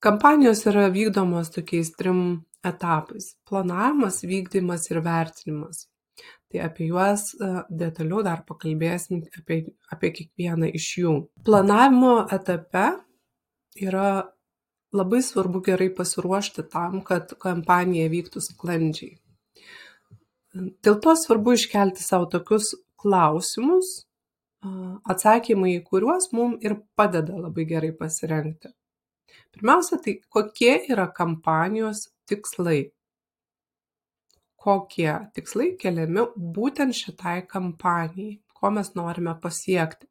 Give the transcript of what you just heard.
Kampanijos yra vykdomos tokiais 3 etapais: planavimas, vykdymas ir vertinimas. Tai apie juos detaliau dar pakalbėsim apie kiekvieną iš jų. Planavimo etape yra labai svarbu gerai pasiruošti tam, kad kampanija vyktų sklandžiai. Dėl to svarbu iškelti savo tokius klausimus, atsakymai į kuriuos mums ir padeda labai gerai pasirengti. Pirmiausia, tai kokie yra kampanijos tikslai? Kokie tikslai keliami būtent šitai kampanijai? Ko mes norime pasiekti?